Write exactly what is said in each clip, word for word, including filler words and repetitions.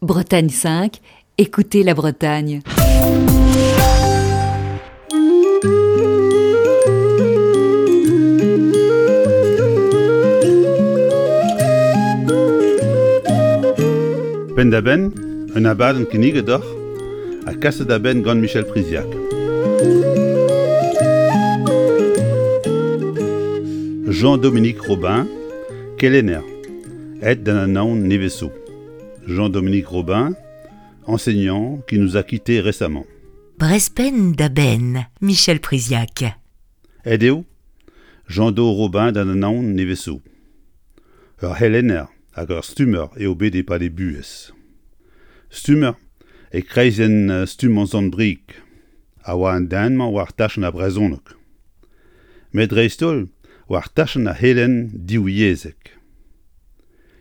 Bretagne cinq, écoutez la Bretagne. Penn-da-benn, un abadenn kinniget deoc'h ha kaset da benn gant Michel Priziac. Jean-Dominique Robin, kelenner, aet d'an anaon nevez zo. Jean-Dominique Robin, enseignant qui nous a quittés récemment. Brezh Penn da Benn, Michel Priziac. Aet eo Jean-Do Robin d'an anaon nevez zo. Ur c'helenner hag ur stummer eo bet e-pad e buhez. Stummer e kreizenn stummañ Sant-Brieg a oa an den-mañ war tachenn ar brezhoneg. Met dreist-holl war tachenn ar c'helenn divyezhek.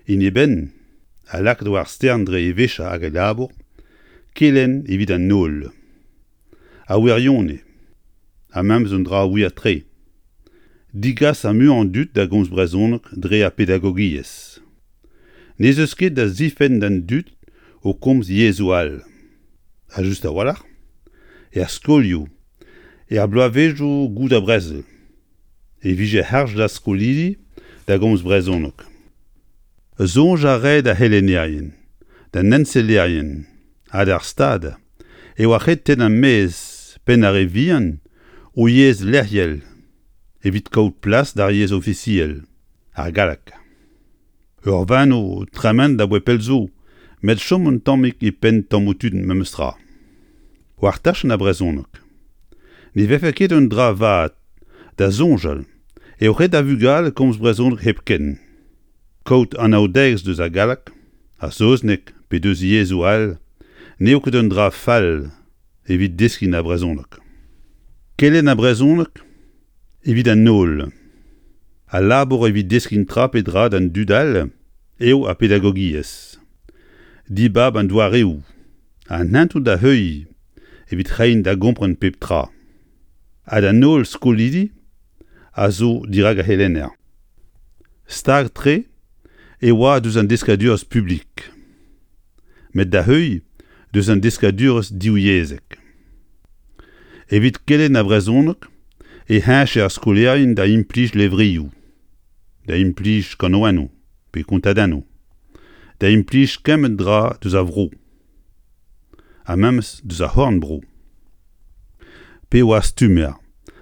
En e benn a lakaet war stern dre e vechañ hag e labour, kelenn evit an holl. A wirionez, ha memes un dra wir-tre. Digas ar muiañ an dud da gomz brezhoneg dre ar pedagogiezh. N'ez eus ket da zifenn d'an dud o komz yezhoù all. Ha just a-walc'h, er skolioù, er bloavezhioù goude ar brezel, e vije harz d'ar skolidi da gomz brezhoneg. Soñj a rae d'ar c'helennerien, d'an ensellerien ha d'ar Stad e oa ret tennañ maez penn ar re vihan o yezh lec'hel evit kaout plas d'ar yezh ofisiel, ar galleg. Ur veno tremenet abaoe pell zo, met chom un tammig e penn tammoù tud memestra. War tachenn ar brezhoneg. Ne vefe ket un dra vat da soñjal eo ret da vugale komz brezhoneg hepken. Kaout anaoudegezh deus ar galleg, ar saozneg pe deus yezhoù all n'eo ket un dra fall evit deskiñ ar brezhoneg. Kelenn ar brezhoneg evit an holl. Al labour evit deskiñ tra pe dra d'an dud all eo ar pedagogiezh. Dibab an doareoù, an hentoù da heuilh evit reiñ da gompren pep tra. Ha d'an holl skolidi a zo dirak ar c'helenner. Stag-tre e oa deus an deskadurezh publik. Met da heuilh deus an deskadurezh divyezhek. Evit kelenn ar brezhoneg e heñche ar skolaerien da implij levrioù, da implij kanaouennoù pe kontadennoù, da implij kement dra deus ar vro, ha memes deus ar c'horn-bro. Pe oa stummer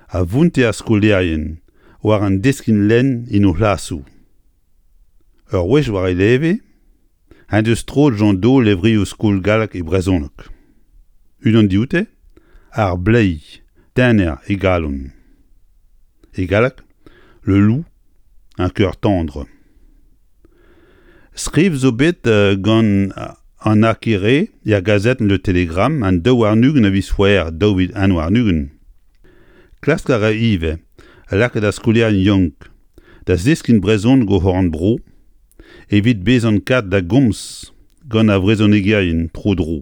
a vounte ar skolaerien war an deskiñ lenn en o c'hlasoù. Ur wech war e leve, en deus troet Jean-Do levrioù skol gallek e brezhoneg. Unan dioute, ar bleiz tener e galon. E galleg, le loup, un cœur tendre. Skriv zo bet gant an Akere er gazetenn Le Télégramme an daou warn-ugent a viz C'hwevrer daou vil un warn-ugent. Klask a ra ivez lakaat ar skolaerien yaouank da zeskiñ brezhoneg o c'horn-bro evit bezañ kat da gomz gant ar vrezhonegerien tro-dro.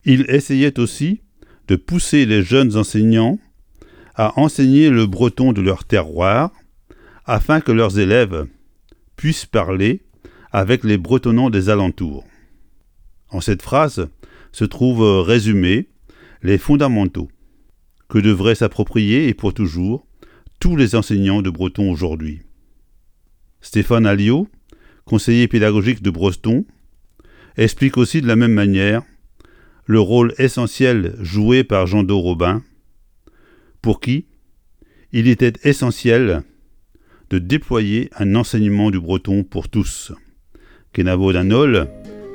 Il essayait aussi de pousser les jeunes enseignants à enseigner le breton de leur terroir afin que leurs élèves puissent parler avec les bretonnants des alentours. En cette phrase se trouvent résumés les fondamentaux que devraient s'approprier et pour toujours tous les enseignants de breton aujourd'hui. Stéphane Alliot, conseiller pédagogique de Breton, explique aussi de la même manière le rôle essentiel joué par Jean-Do Robin, pour qui il était essentiel de déployer un enseignement du breton pour tous. Kenavo d'an holl,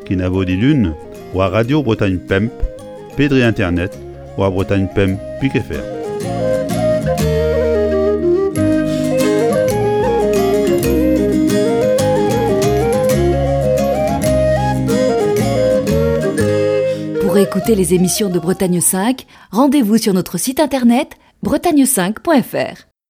kenavo dilun, war Radio Bretagne Pemp, pe dre internet, war Bretagne Pemp pik F R. Pour écouter les émissions de Bretagne cinq, rendez-vous sur notre site internet bretagne cinq point F R.